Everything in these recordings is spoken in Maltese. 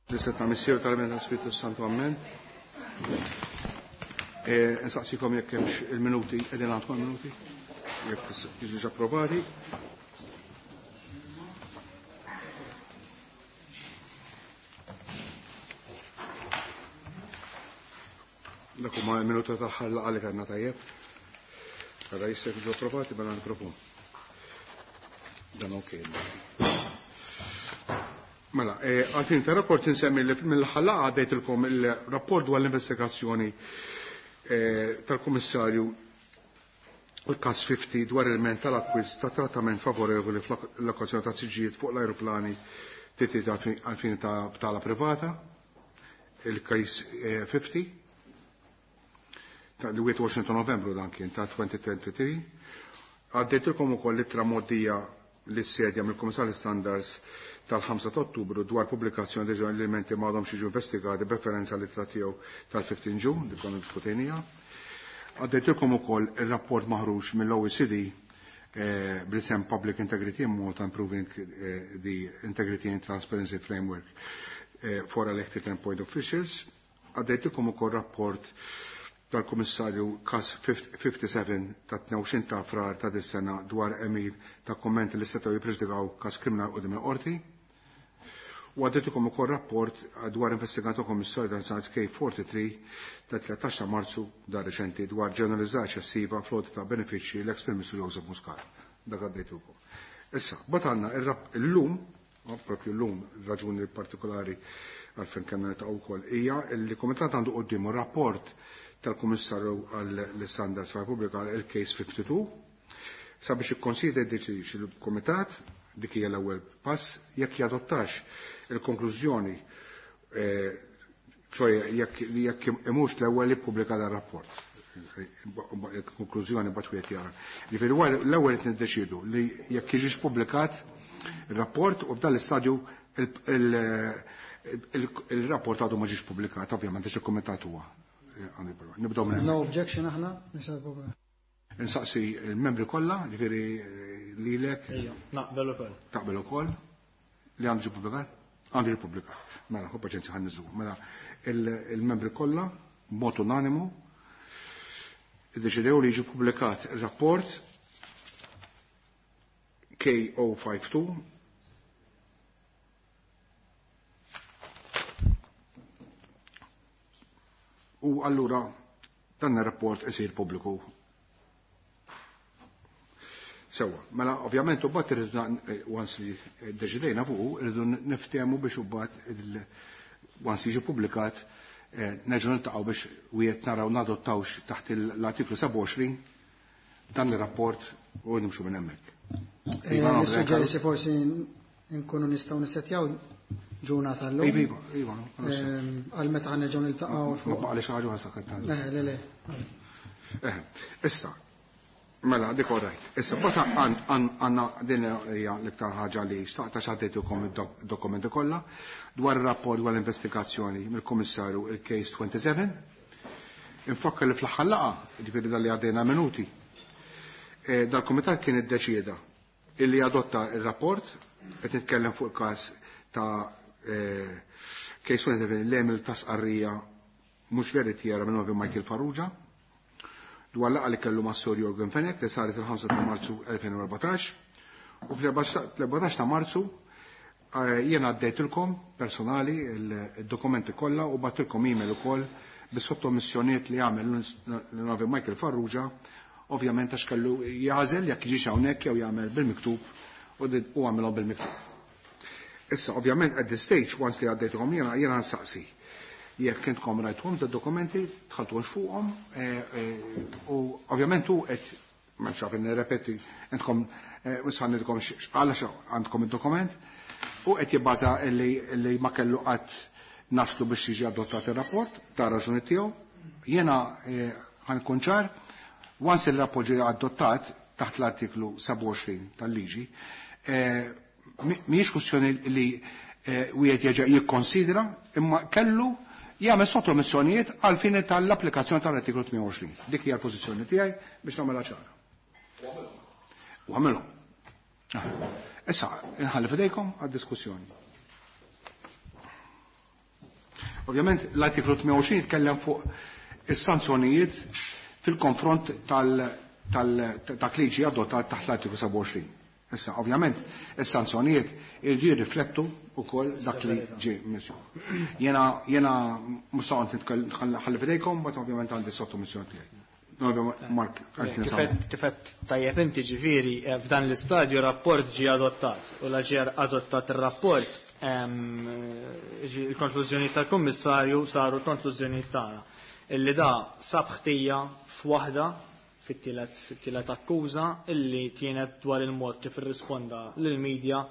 L-isem ta' Missier tal-Iben tal-Spiritu Santu Amen. E, nsaqsikom jekk hemmx il-minuti, qegħdin għandkom minuti, jekk tiġux approvati. Dak huma l-minuta tagħha l-laqgħa li kellna tajjeb. Għada jista' jiġu approvati mela nipropon. Dan ok. Mela, eh, għalfin ta' rapport insemmi li mill-aħħar laqgħa għaddejtilkom il-rapport dwar l-investigazzjoni eh, tal-Kummissarju il-kas 50 dwar il-ment tal-akkwist ta' trattament favorevoli fl-allokazzjoni ta' siġijiet fuq l-ajruplani titi għalfin ta' btala privata, il-kas 50, eh, ta' 21 ta' novembru dan kien ta' 2023. Għaddejtilkom ukoll ittra mgħoddija lis-sedja mill-Kummissarju Standards tal-5 ta' Ottubru dwar pubblikazzjoni deċiżjoni li l-elementi ma għadhomx jiġu investigati b'referenza l-ittra tiegħu tal-15 Ġun li konna diskutejniha. Għaddejtilkom ukoll ir-rapport maħruġ mill-OECD eh, bl-isem Public Integrity in Malta Improving eh, the Integrity and Transparency Framework eh, for Elected and Appointed Officials. Għaddejtilkom ukoll rapport tal-Kummissarju kas 57 ta' 22 ta' frar ta' dis-sena dwar emil ta' kommenti li setgħu jippreġudikaw kas kriminal qudiem il-qorti. U għaddejtilkom ukoll rapport dwar investigator Kommissarju dan sanat K43 ta' 13 ta' Marzu da' reċenti dwar ġeneralizzata eċċessiva floti ta' benefiċċji l-ex Prim Ministru Joseph Muscat. Dak għaddejtilkom. Issa, bat għandna illum, propju llum, raġuni partikolari għalfejn kellna niltaqgħu wkoll hija li l-Kumitat għandu quddiemu rapport tal-Kummissarju għall-Standards tal-Repubblika il-Case 52 sabiex ikkonsidra jiddeċidix il-Kumitat dik hija l-ewwel pass jekk jadottax il-konklużjoni ċoe jekk imux l-ewwel jippubblika dan rapport. Konklużjoni mbagħad wieħed jara. Ġifieri l-ewwel qed niddeċiedu li jekk jiġix pubblikat ir-rapport u f'dan l-istadju il-rapport għadu ma ġiex pubblikat, ovvjament għax il-kumitat huwa. Nibdew minn No objection aħna, nisa pubblika. Insaqsi il-membri kollha, ġifieri lilek. Ejja, naqbel ukoll. Taqbel ukoll li għandu ġie pubblikat? Għandu ġie pubblikat. Mela, ħu paċenzja ħan niżlu. Mela, il-membri kollha b'mod unanimu iddeċidew li jiġi pubblikat ir-rapport K052 u allura dan ir-rapport isir pubbliku. Sewa, mela ovvjament u bat irridu once li ddeċidejna fuq, irridu niftehmu biex u bat once jiġi pubblikat nerġgħu niltaqgħu biex wieħed naraw nadottawx taħt l-artiklu 27 dan ir-rapport u nimxu minn hemmhekk. Iva, Nissuġġeri se forsi nkunu nistgħu nissettjaw ġurnata llum. Iva, iva, iva. Għal meta ħa nerġgħu niltaqgħu fuq. Ma baqgħalix ħaġa ħa sakket. Le, le, le. Issa, mela, dik all right. Issa, bata għandna din hija l-iktar ħaġa li xtaqta x'għaddejtukom id-dokumenti kollha dwar ir-rapport dwar l-investigazzjoni mill-Kummissarju il-Case 27. Infakkar li fl-aħħar laqgħa, jiġifieri dal li għaddejna minuti, dal-Kumitat kien iddeċieda illi adotta il-rapport, qed nitkellem fuq il-każ ta' Case 27 l-emil ta' sqarrija mhux veritiera minn Novi Michael Farrugia dwar laqgħa li kellu mas-Sur Yorgen Fenech li saret il-5 ta' Marzu 2014 u fl-14 ta' Marzu jiena għaddejtilkom personali il-dokumenti kollha u bagħtilkom email ukoll bis-sottomissjonijiet li għamel l-Novi Michael Farrugia, ovvjament għax kellu jażel jekk jiġix hawnhekk jew jagħmel bil-miktub u għamilhom bil-miktub. Issa, ovvjament, at this stage, once li għaddejtuhom jiena, jiena nsaqsi. Jekk intkom rajtuhom da dokumenti, tħaltuhomx fuqhom, u ovvjament hu qed, ma nxaf nirrepeti, intkom, issa ngħidilkom x'qal għax għandkom id-dokument, u qed jibbaża li ma kellu qatt naslu biex jiġi adottat ir-rapport, ta' raġuni tiegħu. Jiena ħankun ċar, once il-rapport ġie adottat taħt l-artiklu 27 tal-liġi, mhijiex kwestjoni li wieħed jerġa' jikkonsidra, imma kellu jagħmel sottomissjonijiet għal fini tal-applikazzjoni tal-artiklu 28. Dik hija l-pożizzjoni tiegħi biex nagħmilha ċara. U għamilhom. Issa, inħalli fidejkom għad-diskussjoni. Ovvjament l-artiklu 28 jitkellem fuq is-sanzjonijiet fil-konfront dak li ġie adottat taħt l-artiklu 27. Issa, ovvjament, is-sanzjonijiet irridu jirriflettu wkoll dak li ġie misju. Jena jena mhux nħalli f'idejkom, but ovvjament għandi sottomissjoni tiegħi. Mark, Kifet tajjeb inti, ġifieri, f'dan l-istadju rapport ġie adottat u la ġie adottat ir-rapport, il-konklużjoni tal-Kummissarju saru l-konklużjoni tagħna. Illi da sab ħtija f'waħda fit-tielet akkuża illi kienet dwar il-mod kif irrisponda lill-medja,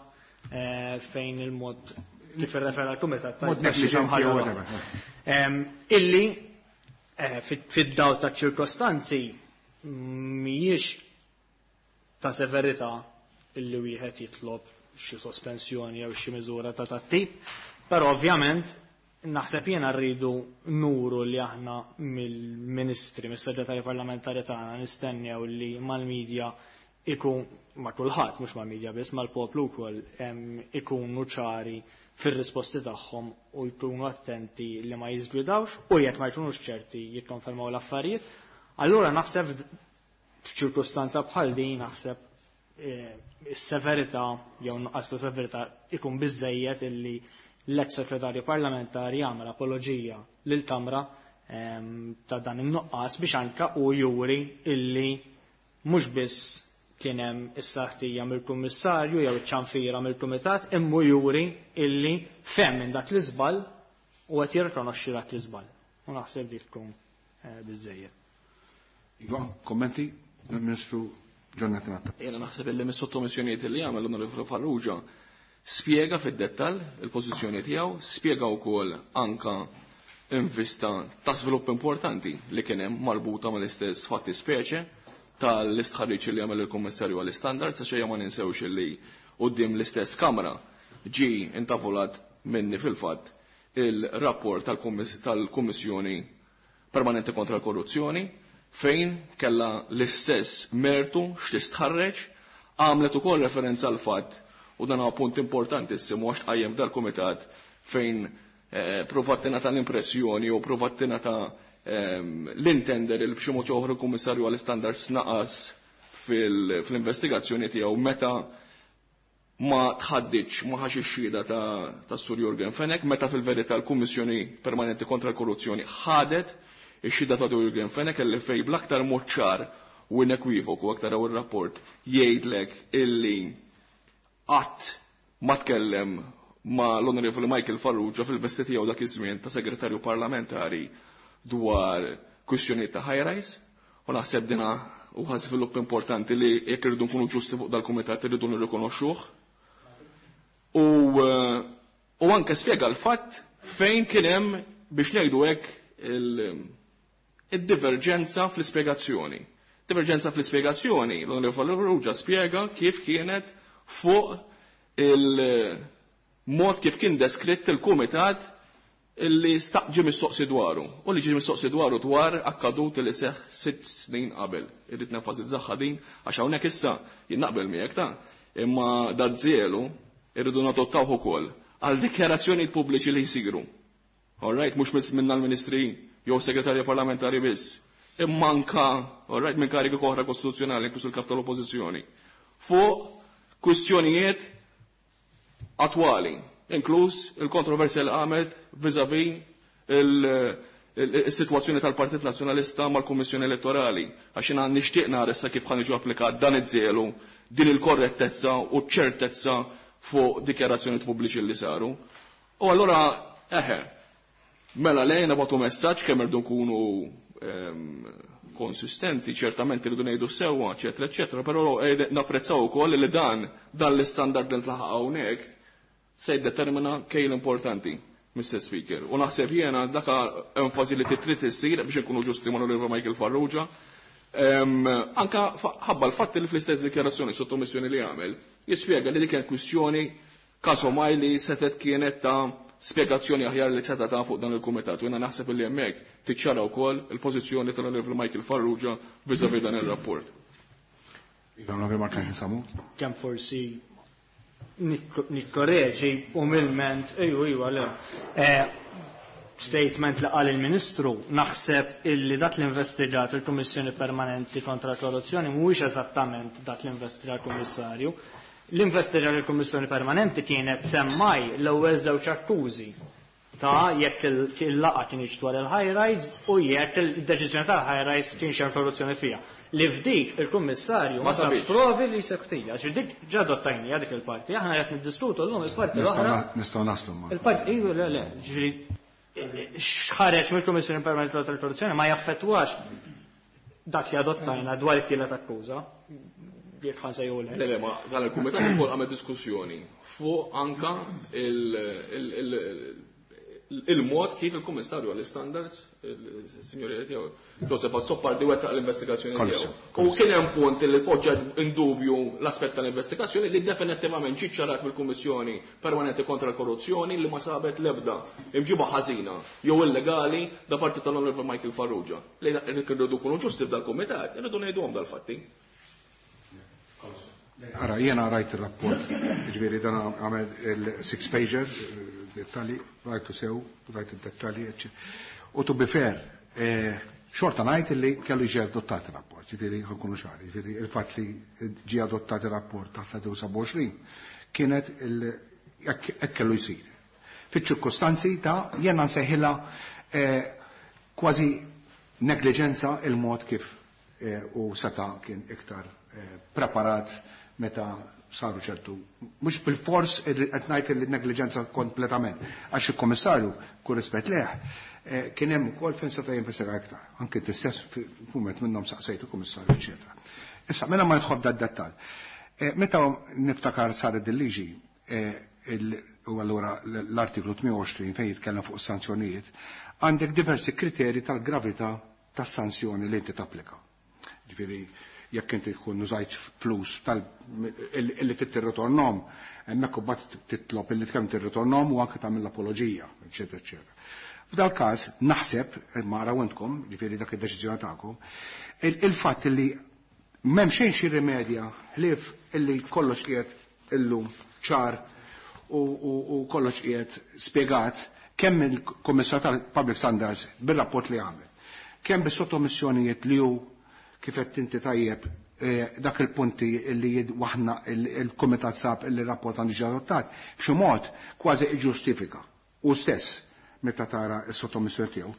fejn il-mod kif irrefera l-kumitat Mod negligenti jew whatever. Illi fid-dawl ta' ċirkostanzi mhijiex ta' severità illi wieħed jitlob xi sospensjoni jew xi miżura ta' tat-tip, però ovvjament naħseb jiena rridu nuru li aħna mill-ministri, mis-segretarji parlamentari tagħna nistennew li mal-medja ikun, ma' kulħadd, mhux mal-medja biss, mal-poplu wkoll, ikunu ċari fir-risposti tagħhom u jkunu attenti li ma jiżgwidawx u jekk ma jkunux ċerti jikkonfermaw l-affarijiet. Allura naħseb f'ċirkustanza bħal din naħseb is-severità jew nuqqas ta' severità ikun biżejjed illi l-ex segretarju parlamentari jagħmel apoloġija lil Kamra ta' dan in-nuqqas biex anka u juri illi mhux biss kien hemm is-saħtija mill-kummissarju jew iċ-ċanfira mill-kumitat, imma juri illi fehem minn dak l-iżball u qed jirrikonoxxi dak l-iżball. U naħseb dik tkun biżejjed. Iva, kommenti? Il-Ministru John Natta. Jena naħseb illi mis-sottomissjonijiet li għamel l-Onorevoli Farrugia spjega fid-dettall il-pożizzjoni tiegħu, spjega wkoll anka invista ta' żvilupp importanti li kien hemm marbuta mal-istess fatti speċe tal-istħarriġ li għamel il-Kummissarju għall-Istandards, għax ejja ma ninsewx li quddiem l-istess Kamra ġie intavolat minni fil-fatt il-rapport tal-Kummissjoni Permanenti kontra l-Korruzzjoni, fejn kella l-istess mertu x'tistħarreġ, għamlet ukoll referenza għal fatt, u dan huwa punt importantissimu għax tqajjem dal-kumitat fejn provat tingħata l-impressjoni u provat tingħata l-intender il b'xi mod oħra l-Kummissarju għall-Istandards naqas fl-investigazzjoni tiegħu meta ma tħaddiċ, ma ħax ix-xhieda ta' Sur Yorgen Fenech, meta fil-verità l-Kummissjoni Permanenti kontra l-Korruzzjoni ħadet ix-xhieda ta' Yorgen Fenech illi fej bl-aktar mod ċar u inekwivoku, aktar hawn ir-rapport jgħidlek illi qatt ma tkellem ma l-Onorevoli Michael Farrugia fil-vesti tiegħu dak iż-żmien ta' segretarju parlamentari dwar kwistjonijiet ta' high-rise, u naħseb dina huwa żvilupp importanti li jekk irridu nkunu ġusti fuq dal-kumitat irridu nirrikonoxxuh. U anke spjega l-fatt fejn kien hemm biex ngħidu hekk id-diverġenza fl-ispjegazzjoni. Diverġenza fl-ispjegazzjoni, l-Onorevoli Farrugia spjega kif kienet fuq il-mod kif kien deskritt il-kumitat illi ġie mistoqsi dwaru, u li ġie mistoqsi dwaru dwar akkadut li seħ 6 snin qabel. Irrid nenfasizzaha din għax hawnhekk issa jien naqbel miegħek ta' imma dażżielu irridu nadottawh ukoll għal dikjarazzjonijiet pubbliċi li jsiru. All right, mhux biss minna l-ministri jew segretarji parlamentari biss, imma anka, all right, minn karigi oħra kostituzzjonali, inkluż il-kap tal-oppożizzjoni, fuq kwistjonijiet attwali, inkluż il-kontroversja li qamet vis-à-vis il-sitwazzjoni tal-Partit Nazzjonalista mal-Kummissjoni Elettorali, għax jiena nixtieq nara issa kif ħa niġu applikat dan iż-żelu, din il-korrettezza u ċ-ċertezza fuq dikjarazzjonijiet pubbliċi li saru. U allura, eħe, mela lejna nagħtu messaġġ kemm irdu nkunu konsistenti, ċertament irridu ngħidu sewwa, eċetera, eċetera, però napprezzaw ukoll li dan l-istandard li ntlaħaq hawnhekk se jiddetermina kejl importanti, Mr. Speaker. U naħseb jiena dak enfasi li trid issir biex inkunu ġusti ma' Oliver Michael Farrugia. Anka ħabba l-fatt li fl-istess dikjarazzjoni sottomissjoni li għamel, jispjega li dik kienet kwistjoni kasomaj li setet kienet ta' spjegazzjoni aħjar li seta' ta' fuq dan il-kumitat. U jiena naħseb li hemmhekk tiċċara wkoll il-pożizzjoni tal-Onorevoli Michael Farrugia vis-à-vis dan ir-rapport. Iva, Onorevoli Mark Samu. Kemm forsi nikkoreġi umilment, ejju, ejju, le. Statement li qal il-Ministru, naħseb illi dak li investigat il-Kummissjoni Permanenti kontra l-Korruzzjoni mhuwiex eżattament dak li investiga l-Kummissarju. L-investiga l-Kummissjoni Permanenti kienet semmaj l-ewwel żewġ akkużi ta' jekk il-laqgħa kienx dwar il-high rise u jekk il-deċiżjoni tal-high rise kienx hemm korruzzjoni fiha. Li f'dik il-Kummissarju ma sabx provi li sektija. Ġi dik ġa adottajnija dik il-parti, aħna qed niddiskutu llum il-parti l-oħra. Nistgħu naslu ma. Il-parti, iva, le, le, ġifieri x'ħareġ mill-Kummissjoni Permanenti tal-Korruzzjoni ma jaffettwax dak li adottajna dwar it-tielet akkuża. Jekk ħa nsejħu le. Le, le, ma dan il-kumitat ukoll għamel diskussjoni fuq anka il-mod kif il-Kummissarju għall-Standards, il-Sinjori tiegħu, Joseph Azzopardi wettaq l-investigazzjoni tiegħu. U kien hemm punt li poġġa in dubju l-aspett tal-investigazzjoni li definittivament ġie ċarat mill-Kummissjoni Permanenti kontra l-Korruzzjoni li ma sabet l-ebda imġiba ħażina jew illegali da parti tal-Onorevoli Michael Farrugia. Li rridu nkunu ġusti f'dal-kumitat, irridu ngħiduhom dal-fatti. Ara, jena rajt il-rapport, ġifieri dan għamel il-six pager, dettali, rajtu sew, rajt il-dettali, u to be fair, xorta ngħid li kellu jiġi adottat il-rapport, ġifieri ħankunu ċari, ġifieri il-fatt li ġie adottat il-rapport taħt 27 kienet hekk kellu jsir. Fiċ-ċirkostanzi ta' jena nsejħilha kważi negliġenza il-mod kif u seta' kien iktar preparat meta saru ċertu. Mhux bil-fors qed ngħid li negliġenza kompletament. Għax il-Kummissarju, kull rispett leh, kien hemm ukoll fejn seta' jinvestiga iktar. Anke t-istess f'mument minnhom saqsejt il-Kummissarju, eċetera. Issa, mela ma nidħol dad-dettall. Meta niftakar saret il-liġi, u allura l-artiklu 28 fejn jitkellem fuq sanzjonijiet, għandek diversi kriteri tal-gravità tas-sanzjoni li inti tapplika. Ġifieri, jekk inti tkun użajt flus tal li tirritornhom, hemmhekk imbagħad titlob illi kemm tirritornhom u anke tagħmel l-apoloġija, eċetera, eċetera. F'dal każ naħseb, ma araw intkom, ġifieri dak id-deċiżjoni tagħkom, il-fatt li m'hemm xejn xi rimedja ħlief illi kollox qiegħed illum ċar u kollox qiegħed spjegat kemm il-Kummissar tal-Public Standards bir-rapport li għamel, kemm bis-sottomissjonijiet li hu kif qed inti tajjeb dak il-punti li waħna il-Kumitat sab li rapport għandu ġie adottat, b'xi mod kważi iġġustifika u stess meta tara s-sottomissjoni tiegħu.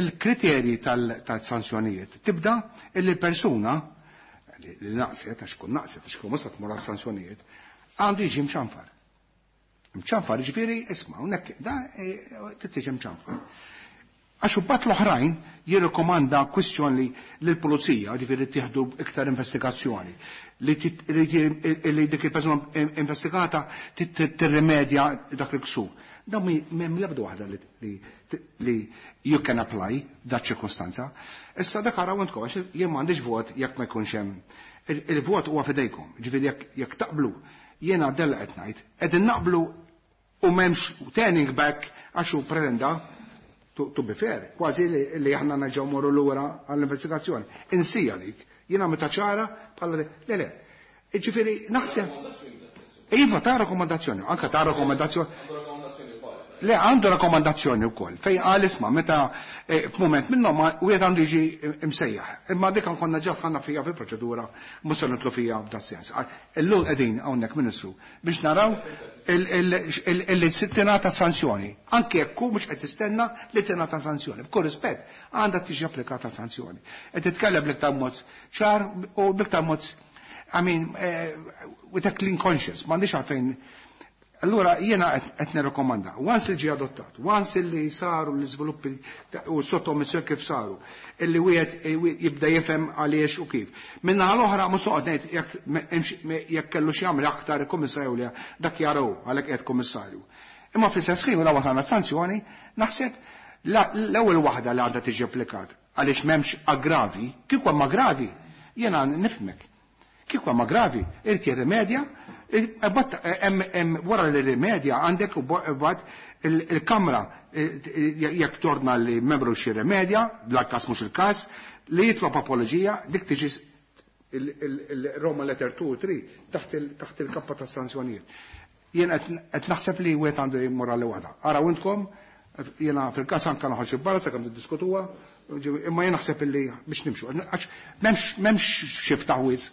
Il-kriterji tal-sanzjonijiet tibda illi persuna li naqset, għax kun naqset, għax kun mhux tmur għas-sanzjonijiet, għandu jiġi mċanfar. Mċanfar ġifieri isma' hawnhekk da tittiġi mċanfar. Għax imbagħad l-oħrajn jirrikomanda kwistjoni lill-pulizija, ġifieri tieħdu iktar investigazzjoni, li dik il-persuna investigata tirrimedja dak il-ksur. Dan m'hemm l-ebda waħda li you can apply dak ċirkostanza. Issa dak araw intkom, għax jien m'għandix vot jekk ma jkunx hemm. Il-vot huwa fidejkom, ġifieri jekk taqblu, jiena della qed ngħid, qegħdin naqblu u m'hemmx turning back għax hu pretenda to be fair, kważi li aħna nerġgħu morru lura għall-investigazzjoni. Insija dik, jiena meta ċara bħala le le. Ġifieri naħseb Iva ta' rakkomandazzjoni, anka ta' rakkomandazzjoni. Le, għandu rakkomandazzjoni wkoll, fejn qal isma' meta f'mument minnhom wieħed għandu jiġi imsejjaħ. Imma dik konna ġa dħalna fija fil-proċedura, mhux se nidħlu fija f'dat sens. Illum qegħdin hawnhekk Ministru biex naraw illi tingħata sanzjoni. Anke jekk hu mhux qed tistenna li tingħata sanzjoni. B'kull rispett għandha tiġi applikata sanzjoni. Qed titkellem bl-iktar mod ċar u bl-iktar mod, I mean, with a clean conscience, m'għandix għalfejn. Allura jiena qed nirrakkomanda, once li ġie adottat, once li saru l-iżviluppi u sottomissjoni kif saru, illi wieħed jibda jifhem għaliex u kif. Minnaħa l-oħra mhux noqgħod ngħid jekk kellu xi jagħmel aktar il-Kummissarju li dak jaraw għalhekk qiegħed Kummissarju. Imma fl-istess ħin la wasalna sanzjoni, naħseb l-ewwel waħda li għandha tiġi applikat għaliex m'hemmx aggravi, kieku hemm aggravi, jiena nifhmek. Kieku hemm aggravi, irid jirrimedja, wara li rimedja għandek u bat il-kamra jekk torna li membru xi rimedja, dal-każ mhux il-każ, li jitlob apoloġija, dik tiġi il-Roma letter 2 u 3 taħt il-kappa ta' sanzjonijiet. Jien qed naħseb li wieħed għandu jmur għal waħda. Araw intkom, jiena fil-każ anke noħroġ barra sakemm tiddiskutuha, imma jien naħseb illi biex nimxu. Għax m'hemmx xi ftaħwiz.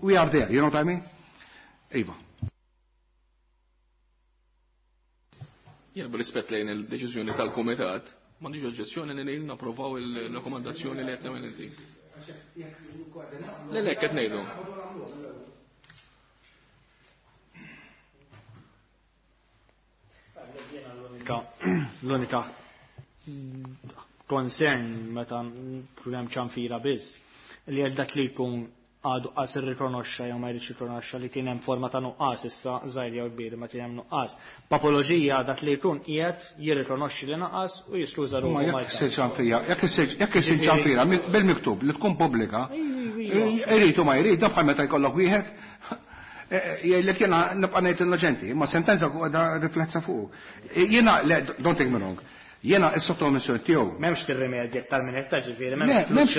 We are there, you know what I mean? Iva. Jien b'rispett lejn il-deċiżjoni tal-Kumitat, m'għandix oġġezzjoni li napprovaw il-rakkomandazzjoni li qed tagħmel inti. Le, le, qed ngħidu. L-unika concern meta hemm ċanfira biss li għal dak li jkun għadu qas irrikonoxxa jew ma jridx jirrikonoxxa li kien hemm forma ta' nuqqas issa żgħir jew kbir ma kien hemm nuqqas. B'apoloġija dak li jkun qiegħed jirrikonoxxi li naqas u jiskuża ruħu. Ma jekk issir ċanfira, jekk issir ċanfira bil-miktub li tkun pubblika, irid u ma jrid, dan bħal meta jkollok wieħed jgħidlek jiena nibqa' ngħid innoċenti, imma sentenza da riflessa fuq. Jiena, le, don't take me wrong, jiena s-sottomissjoni tiegħu. M'hemmx tirrimedja aktar minn hekk, ġifieri, m'hemmx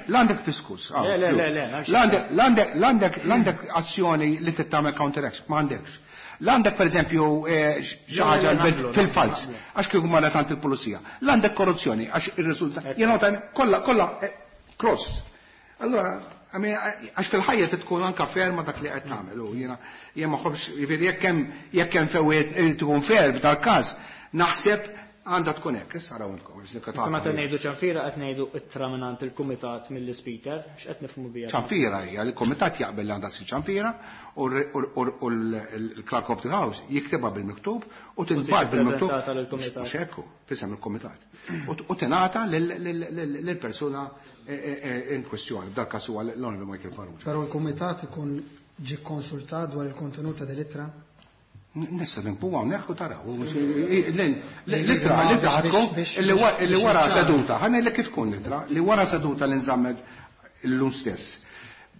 L-għandek fiskus. Le, le, le, le. L-għandek azzjoni li tittamel counteraction, ma għandekx. L-għandek per eżempju xi ħaġa fil-fals, għax kieku marret għand il-pulizija. L-għandek korruzzjoni, għax ir-riżultat, jiena kollha, kollha, cross. Allora, għax fil-ħajja tkun anka ferma dak li qed nagħmel u jiena jien ma ħobbx, jiġifieri jekk hemm fejn irid ikun fair f'dal-każ, naħseb għandha tkun hekk. Issa araw intkom, biex nikka Issa meta ngħidu ċanfira qed ngħidu ittra mingħand il-kumitat mill-ispeaker, x'qed nifhmu biha? Ċanfira hija li l-kumitat jaqbel li għandha ssir ċanfira u l-Clerk of the House jiktibha bil-miktub u tinbagħat bil-miktub. Prezentata lill-kumitat. Mhux hekk hu, f'isem il-kumitat. U tingħata lill-persuna in kwestjoni, f'dal każ huwa l-Onorevoli Michael Farrugia. Però l-kumitat ikun ġie kkonsultat dwar il-kontenut ta' dell-ittra? Nista' nimpu hawnhekk u taraw. L-ittra, l-ittra tkun li wara seduta, ħa ngħidlek kif tkun l-ittra, li wara seduta li nżammet illum stess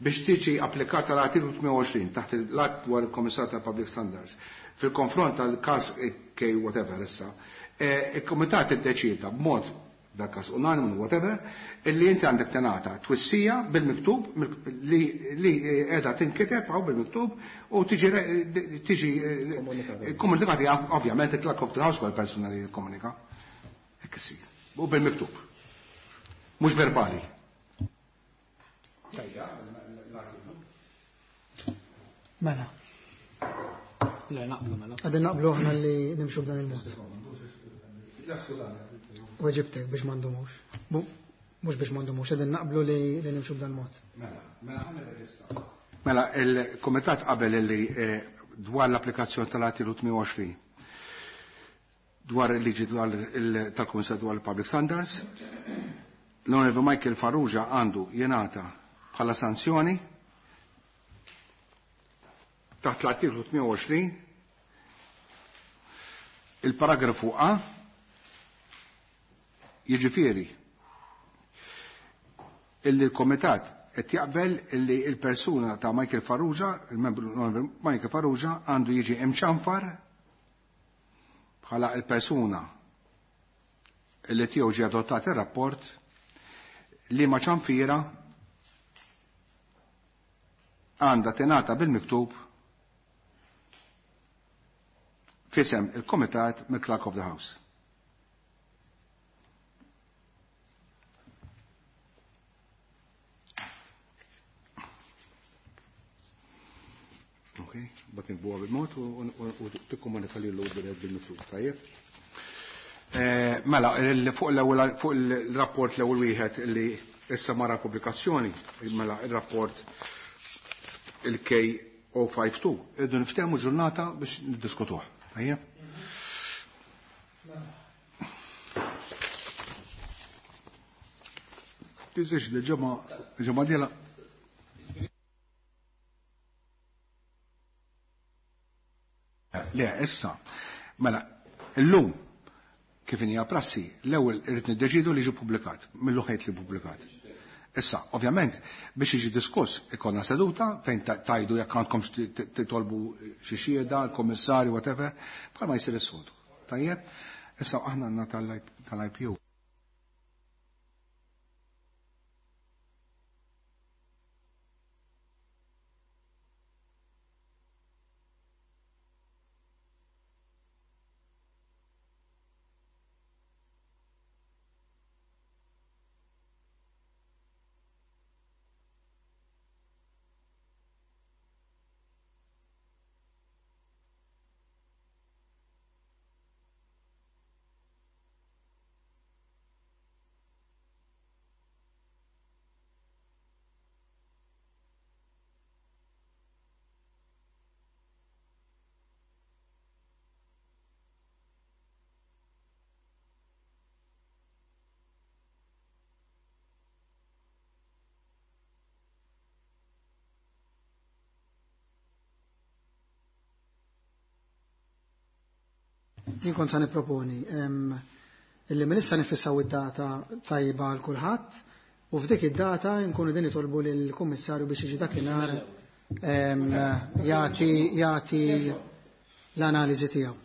biex tiġi applikata l-artiklu 28 taħt l-att dwar il-Kummissar tal-Public Standards fil-konfront tal-każ K whatever issa, il-Kumitat iddeċieda b'mod dak każ unanimu whatever, illi inti għandek tingħata twissija bil-miktub li qiegħda tinkiteb hawn bil-miktub u tiġi komunikati ovvjament il-Clerk of the House huwa l-persuna li jikkomunika. Hekk isir. U bil-miktub. Mhux verbali. Mela. Le, naqblu mela. Għadin naqblu aħna li nimxu b'dan il-mod. Weġibtek biex ma ndumux. Mhux biex ma ndumux, qegħdin naqblu li nimxu b'dan il-mod. Mela, mela ħa nirreġistra. Mela, il-Kumitat qabel li dwar l-applikazzjoni tal-artiklu 28 dwar il-liġi tal-Kummissar dwar il-Public Standards, l-Onorevoli Michael Farrugia għandu jingħata bħala sanzjoni taħt l-artiklu 28 il-paragrafu A, jiġifieri illi l-Komitat qed jaqbel illi l-persuna ta' Michael Farrugia, il-membru Michael Farrugia, għandu jiġi imċanfar bħala l-persuna illi tiegħu ġie adottat ir-rapport li ma ċanfira għandha tingħata bil-miktub fisem il-Komitat mill-Clerk of the House. Ok, bat nikbuha bil-mod u tikkomunika lilu bil-miktub, tajjeb. Mela, fuq l-ewwel, fuq il-rapport l-ewwel wieħed li issa mara pubblikazzjoni, mela il-rapport il-K O five two, irridu niftehmu ġurnata biex niddiskutuh. Tajjeb? Tiżix li ġimgħa dieħla. Le, issa, mela, illum kif inhi prassi, l-ewwel irid niddeċidu li jiġi ppubblikat, mill-luħejt li ppubblikat. Issa, ovvjament, biex jiġi diskuss, ikollna seduta fejn tajdu jekk għandkom titolbu xi xhieda, l-kummissarju, whatever, bħalma jsir is-soltu. Tajjeb? Issa aħna għandna tal-IPU. Jien kont sa nipproponi illi minn issa nifissaw id-data tajba għal kulħadd u f'dik id-data nkunu din nitolbu lill-Kummissarju biex jiġi dakinhar jagħti jagħti l-analiżi tiegħu.